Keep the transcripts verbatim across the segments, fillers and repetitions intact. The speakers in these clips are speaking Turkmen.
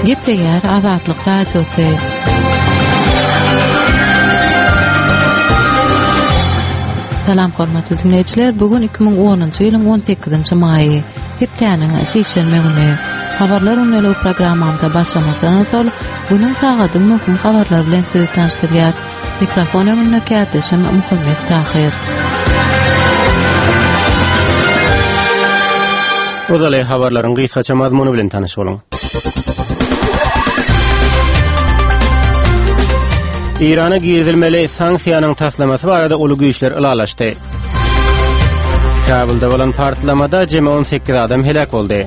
Gepleýär Azatlyk Radiosy. Salam hormatly dinleýjiler, bu gün iki müň onunjy ýylyň on sekizinji maýy, hepdäniň sişenbe güni. Habarlar gündeligi programmamyza başlamazdan ozal, günüň sagadyň möhüm habarlary bilen sizi tanyşdyrýarys. Mikrofon öňünde kärdeşim Muhammet Tahyr. Ozaly habarlaryň gysgaça mazmuny bilen tanyş boluň. Eýrana girizilmeli sanksiýanyň taslamasy barada uly güýçler ylalaşdy. Kabulda bolan partlamada jemi on sekiz adam heläk boldy.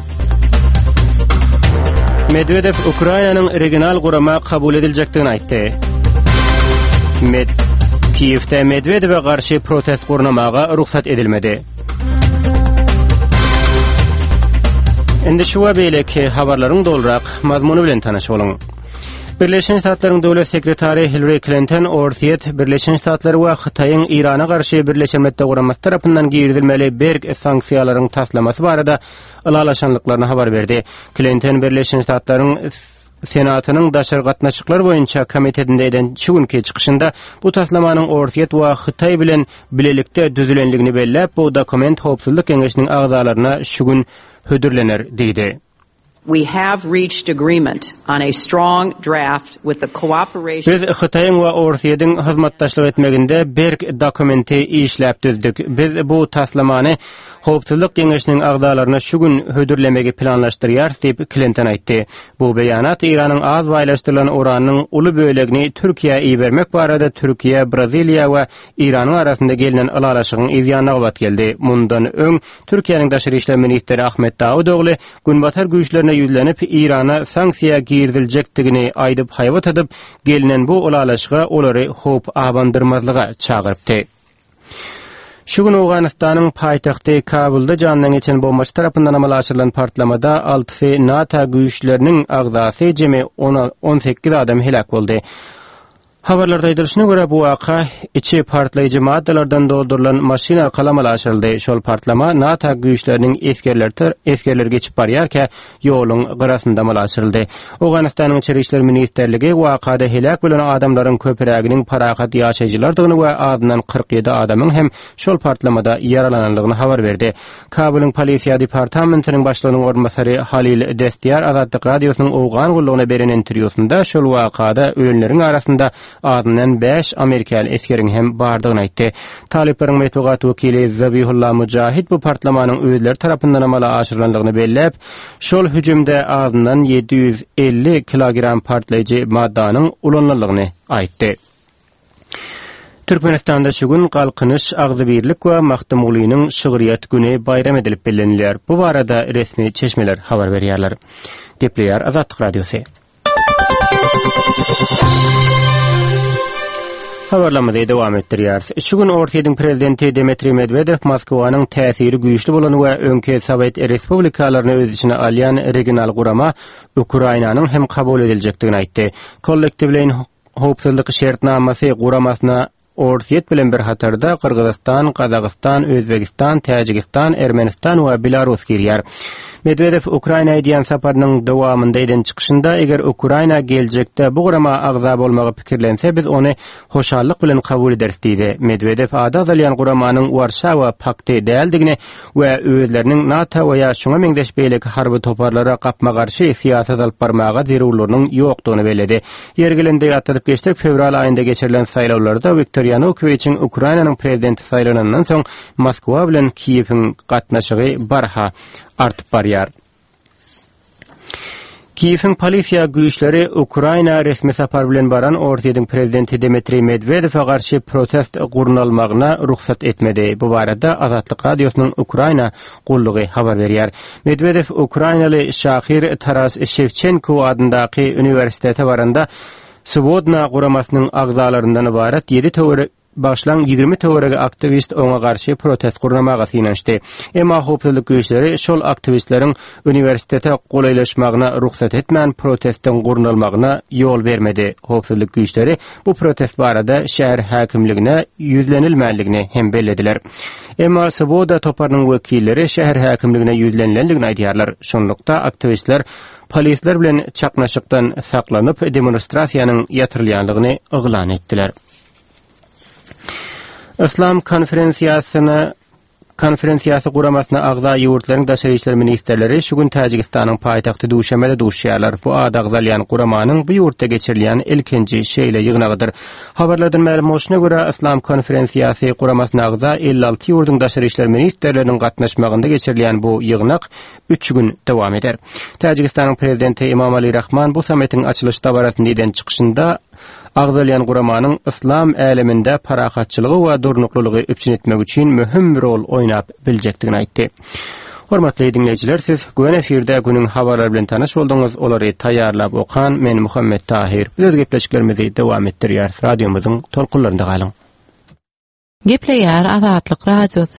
Medwedew Ukrainanyň regional gurama kabul ediljekdigini aýtdy. Med Kiýewde Medwedewe garşy protest gurnamaga rugsat edilmedi. Indi şu we beýleki habarlaryň dolurak mazmuny bilen tanyş boluň. Birleşen Ştatlaryň Döwlet sekretary Hillary Klinton Orsýet, Birleşen Ştatlary we Hytaýyň Eýrana garşy Birleşen Milletler Guramasy tarapyndan girizilmeli berk sanksiýalaryň taslamasy barada ylalaşanlyklaryny habar berdi. Klinton Birleşen Ştatlaryň Senatynyň daşary gatnaşyklar boýunça komitetinde eden şu günki çykyşynda bu taslamanyň Orsýet we Hytaý bilen bilelikde düzülenligini belläp, bu dokument Howpsuzlyk Geňeşiniň agzalaryna şu gün hödürlener diýdi. We have reached agreement on a strong draft with the cooperation Biz Hytaýyň we Orsýetiň hyzmatdaşlyk etmeginde berk dokumenti işläp düzdük. Biz bu taslamany Howpsuzlyk Geňeşiniň agzalaryna şu gün hödürlemegi planlaşdyrýarys diýip, Klinton aýtdy. Bu beýanat Eýranyň az baýlaşdyrylan uranynyň uly bölegini Türkiýä ibermek barada Türkiýe, Braziliýa we Eýranyň arasynda gelnen ylalaşygyň yz ýanyna gabat geldi. Mundan öň Türkiýäniň daşary işler ministri Ahmet Dawutogly Günbatar güýçlerine ýüzlenip, Eýrana sanksiýa giriziljekdigini aýdyp haýbat atyp, gelnen bu ylalaşyga olary howp abandyrmazlyga çagyrypdy. Şu gün Owganystanyň paýtagty Kabulda jandan geçen bombaçy tarapyndan amala aşyrylan partlamada altysy NATO güýçleriniň agzasy jemi on sekiz adam heläk boldy. Habarlarda aýdylyşyna görä, bu waka içi partlaýjy maddalardan doldurylan maşyn arkaly amala aşyryldy. Şol partlama NATO güýçleriniň esgerleri esgerleri geçip barýarka ýoluň gyrasynda amala aşyryldy. Owganystanyň İçeri işler ministrligi wakada heläk bolan adamlaryň köpüräginiň parahat ýaşaýjylardygyny we azyndan kyrk ýedi adamyň hem şol partlamada ýaralanandygyny habar berdi. Kabulyň polisiýa departamentiniň başlygynyň orunbasary Halil Destýar Azatlyk Radiosynyň Owgan gullugyna beren interwýusynda şol wakada ölenleriň arasynda azyndan bäş amerikaly esgeriň hem bardygyny aýtdy. Talyplaryň metbugat wekili Zabihullah Mujahid bu partlamanyň özleri tarapyndan amala aşyrylandygyny belläp, şol hüjümde azyndan ýedi ýüz elli kilogram partlaýjy maddanyň ulanylandygyny aýtdy. Türkmenistanda şu gün Galkynyş, Agzybirlik we Magtymgulynyň şygryýet güni baýram edilip bellenilýär. Bu barada resmi çeşmeler habar berýärler. Gepleýär Azatlyk Radiosy. Habarlarymyzy dowam etdirýäris. Şu gün Orsýetiň prezidenti Dmitriý Medwedew Moskwanyň täsiri güýçli bolan we öňki Sowet respublikalaryny öz içine alýan regional gurama Ukrainanyň hem kabul ediljekdigini aýtdy. Kollektiwleýin howpsuzlyk şertnamasy guramasyna Orsýet bilen bir hatarda Gyrgyzystan, Gazagystan, Özbegistan, Täjigistan, Ermenistan we Belarus girýär. Medwedew Ukraina edýän saparynyň dowamynda eden çykyşynda, eger Ukraina geljekde bu gurama agza bolmagy pikirlense, biz ony hoşallyk bilen kabul ederis diýdi. Medwedew ady agzalýan guramanyň Warşawa pakty däldigini we özleriniň NATO we ýa şuňa meňzeş beýleki harby toparlara gapma-garşy syýasat alyp barmaga zerurlygynyň ýokdugyny belledi. Ýeri gelende ýatladyp geçsek, fewral aýynda geçirilen saýlawlarda Wiktor Ýanukowiçiň Ukrainanyň prezidenti saýlanandan soň Moskwa bilen Kiýewiň gatnaşygy barha artyp barýar. Kiýewiň polisiýa güýçleri Ukraina resmi sapar bilen baran Orsýetiň prezidenti Dmitriý Medwedewe garşy protest gurnalmagyna rugsat etmedi. Bu barada Azatlyk Radiosynyň Ukraina gullugy habar berýär. Medwedew ukrainaly şahyr Taras Şewçenko adyndaky uniwersitete baranda Swobodna guramasynyň agzalaryndan ybarat ýedi töwerek Başlan ýigrimi töweregi aktiwist oňa garşy protest gurnamaga synanyşdy. Emma howpsuzlyk güýçleri şol aktiwistleriň uniwersitete golaýlaşmagyna rugsat etmän protestiň gurnalmagyna ýol bermedi. Howpsuzlyk güýçleri bu protest barada şäher häkimligine ýüzlenilmänligini hem bellediler. Emma Svoboda toparynyň wekilleri şäher häkimligine ýüzlenilendigini aýdýarlar. Şonlukda aktiwistler polisler bilen çaknaşykdan saklanyp demonstrasiýanyň ýatyrylýanlygyny yglan etdiler. Islam konferensiýasyna konferensiýasy guramasyna agza ýurtlaryň daşary işler ministrleri şu gün Täjigistanyň paýtagty Duşanbede duşýarlar. Bu ady agzalýan guramanyň bu ýurtda geçirilýän ilkinji şeýle ýygnagydyr. Habarlardan mälim bolşuna görä Islam konferensiýasy guramasyna agza elli alty ýurduň daşary işler ministrleriniň gatnaşmagynda geçirilýän bu ýygnak üç gün dowam eder. Täjigistanyň prezidenti Emomali Rahman bu sammitiň açylyş dabarasynda eden çykyşynda agzalýan guramanyň islam äleminde parahatçylygy we durnuklylygy üpjün etmek üçin möhüm rol oýnap biljekdigini aýtdy. Hormatly dinleýjiler, siz Göni efirde günüň habarlary bilen tanyş bolduňyz. Olary taýýarlap okan men Muhammet Tahir. Biz öz gepleşiklerimizi dowam etdirýäris. Radiomyzyň tolkunlarynda galyň. Gepleýär Azatlyk Radiosy.